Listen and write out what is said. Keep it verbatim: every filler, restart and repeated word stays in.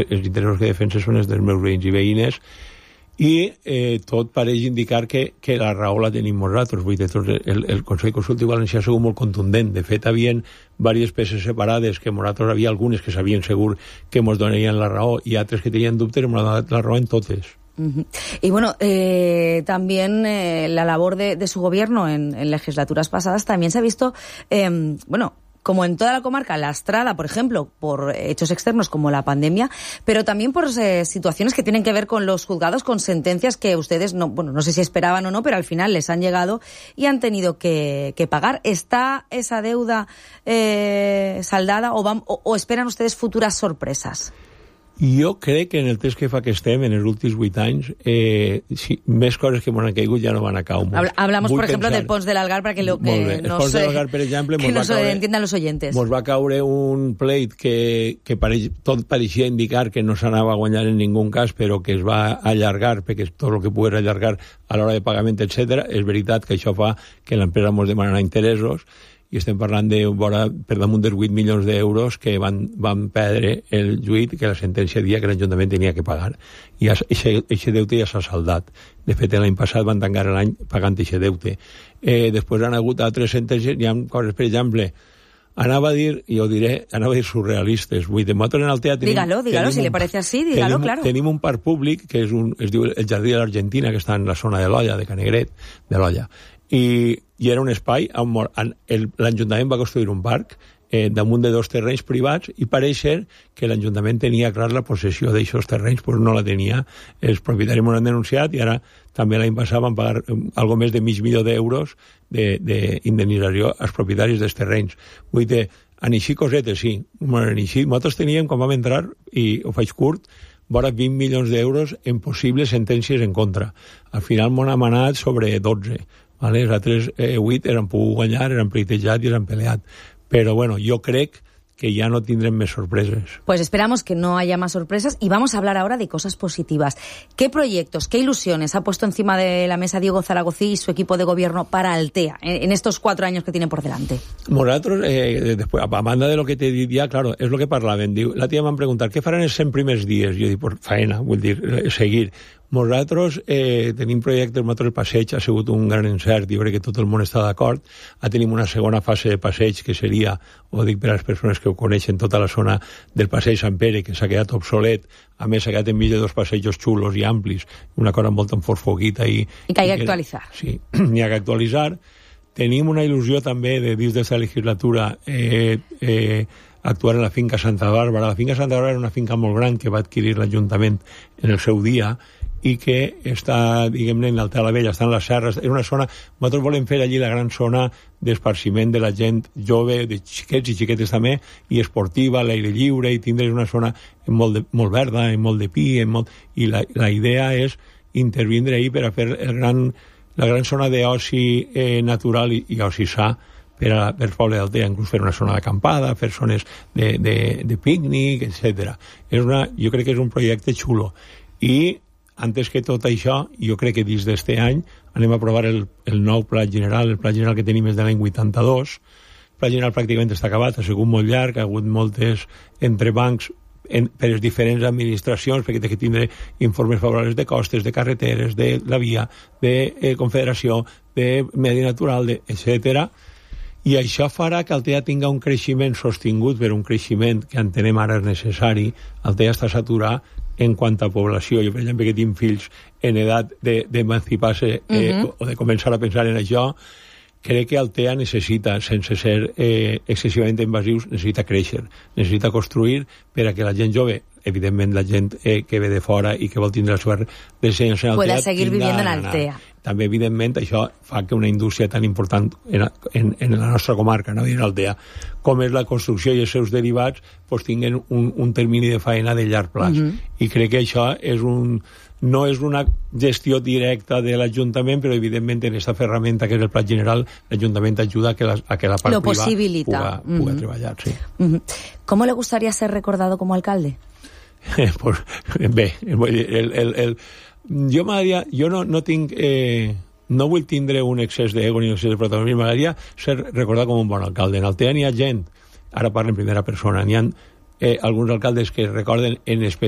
els interessos que defensa són els dels meus veïns i veïnes, i eh, tot pareix indicar que, que la raó la tenim nosaltres. Vull dir, tot el, el Consell Consultiu Valencià ha sigut molt contundent. De fet, havien diverses peces separades que nosaltres havia algunes que sabien segur que ens donarien la raó i altres que tenien dubtes i ens donat la raó en totes. Uh-huh. Y bueno, eh, también eh, la labor de, de su gobierno en, en legislaturas pasadas también se ha visto, eh, bueno, como en toda la comarca, lastrada, por ejemplo, por hechos externos como la pandemia, pero también por eh, situaciones que tienen que ver con los juzgados, con sentencias que ustedes, no, bueno, no sé si esperaban o no, pero al final les han llegado y han tenido que, que pagar. ¿Está esa deuda eh, saldada o, van, o, o esperan ustedes futuras sorpresas? Jo crec que en el temps que fa que estem, en els últims vuit anys, eh, si, més coses que m'han caigut ja no van a caure. Hablamos, Vull por ejemplo, pensar... del Pons del Algar, para que, lo, que no se, Algar, per exemple, que nos caure, entiendan los oyentes. Ens va caure un pleit que, que pareix, tot pareixia indicar que no s'anava a guanyar en ningú cas, però que es va allargar, perquè tot el que pogués allargar a l'hora de pagament, etcètera. És veritat que això fa que l'empresa ens demanarà interessos, i estem parlant de vora, per damunt dels vuit milions d'euros que van, van perdre el juit, que la sentència dia que l'Ajuntament tenia que pagar. I aquest deute ja s'ha saldat. De fet, l'any passat van tancar l'any pagant aquest deute. Eh, després han hagut altres sentències, hi ha coses, per exemple, anava a dir, i ho diré, anava a dir surrealistes. Vull dir, nosaltres en Altea tenim... Dígalo, dígalo, si le parece así, dígalo, tenim, claro. Tenim un parc públic que és un, es diu el Jardí de l'Argentina, que està en la zona de l'Olla, de Canegret, de l'Olla. I, i era un espai on l'Ajuntament va construir un parc eh, damunt de dos terrenys privats i pareix ser que l'Ajuntament tenia clar la possessió d'aquests terrenys, però no la tenia. Els propietaris m'ho han denunciat i ara també l'any passat van pagar eh, algo més de mig milió d'euros d'indemnització als propietaris dels terrenys. Vull dir, en així cosetes, sí. En així, nosaltres teníem, quan vam entrar, i ho faig curt, vora vint milions d'euros en possibles sentències en contra. Al final m'ho han manat sobre dotze. Vale? Els altres eh, vuit eren pogut guanyar, eren pleitejat i eren peleat. Però bueno, jo crec que ya no tendrán más sorpresas. Pues esperamos que no haya más sorpresas y vamos a hablar ahora de cosas positivas. ¿Qué proyectos, qué ilusiones ha puesto encima de la mesa Diego Zaragozí y su equipo de gobierno para Altea en, en estos cuatro años que tienen por delante? Nosaltres, eh, después, a banda de lo que te diría, claro, es lo que parlaven. Diu, la tía m'han preguntat, què faran els cent primers dies? Jo dic, pues, faena, vull dir, seguir. Nosaltres eh, tenim projectes, nosaltres el passeig ha sigut un gran encert, jo crec que tot el món està d'acord. Ah, tenim una segona fase de passeig que seria, ho dic per a les persones que ho coneixen, tota la zona del passeig Sant Pere, que s'ha quedat obsolet, a més s'ha quedat enmig de dos passejos xulos i amplis, una cosa molt enforfoguita i... I que hi ha que actualitzar. Sí, hi ha que actualitzar. Tenim una il·lusió també de dins d'esta legislatura eh, eh, actuar en la finca Santa Bàrbara. La finca Santa Bàrbara era una finca molt gran que va adquirir l'Ajuntament en el seu dia i que està, diguem-ne, en l'Altea la Vella, està en les serres, és una zona, nosaltres volem fer allí la gran zona d'esparciment de la gent jove, de xiquets i xiquetes també, i esportiva, a l'aire lliure, i tindre una zona molt, de, molt verda, amb molt de pi, molt, i la, la idea és intervindre ahí per a fer el gran, la gran zona d'oci eh, natural i, i oci sa per a per poble d'Altea, inclús fer una zona d'acampada, fer zones de, de, de pícnic, etcètera. És una, jo crec que és un projecte xulo. I antes que tot això, jo crec que dins d'este any anem a aprovar el, el nou pla general, el pla general que tenim és de l'any vuitanta-dos. El pla general pràcticament està acabat, ha sigut molt llarg, ha hagut moltes entrebancs en, per les diferents administracions, perquè té que tindre informes favorables de costes, de carreteres, de la via, de eh, confederació, de medi natural, de, etcètera. I això farà que Altea tinga un creixement sostingut, per un creixement que entenem ara és necessari. Altea està saturat en quant a població. Jo, per exemple, que tinc fills en edat d'emancipar-se de, eh, uh-huh. o de començar a pensar en això, crec que Altea necessita, sense ser eh, excessivament invasius, necessita créixer, necessita construir per a que la gent jove, evidentment la gent eh, que ve de fora i que vol tindre la seva residència en Altea, pueda seguir viviendo en Altea. També, evidentment, això fa que una indústria tan important en, en, en la nostra comarca, no en Altea, com és la construcció i els seus derivats, pues, tinguin un, un termini de faena de llarg plaç. Uh-huh. I crec que això és un, no és una gestió directa de l'Ajuntament, però evidentment en aquesta ferramenta que és el pla general, l'Ajuntament ajuda a que la, a que la part lo privada puga, uh-huh. puga treballar. Sí. Uh-huh. ¿Cómo le gustaría ser recordado como alcalde? pues, bé, el, el, el, jo m'agradaria, jo no, no tinc eh, no vull tindre un excés d'ego ni un excés de protagonisme, m'agradaria ser recordat com un bon alcalde. En Altea n'hi ha gent, ara parlo en primera persona, n'hi ha eh, alguns alcaldes que recorden en especial